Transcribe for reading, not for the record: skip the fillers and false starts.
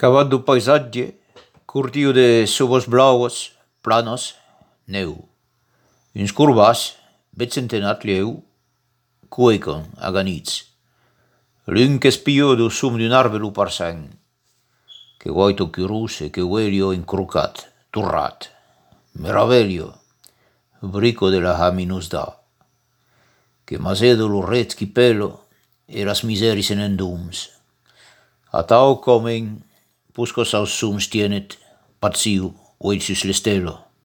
Cavat do paisatge, curtiu de subos blauos, planos, neu. Uns curvas, bet centenat lieu, cuecon aganits. L'un che spio do sum d'un arbelu parsen, che guaito chiuruse, che uelio incrucat, turrat. Meravelio, brico de la haminusda, che masedo lo rezchi pelo e las miseris en endums. A tau comen, pusco saus sums tienet, paziu, oitius l'estelo.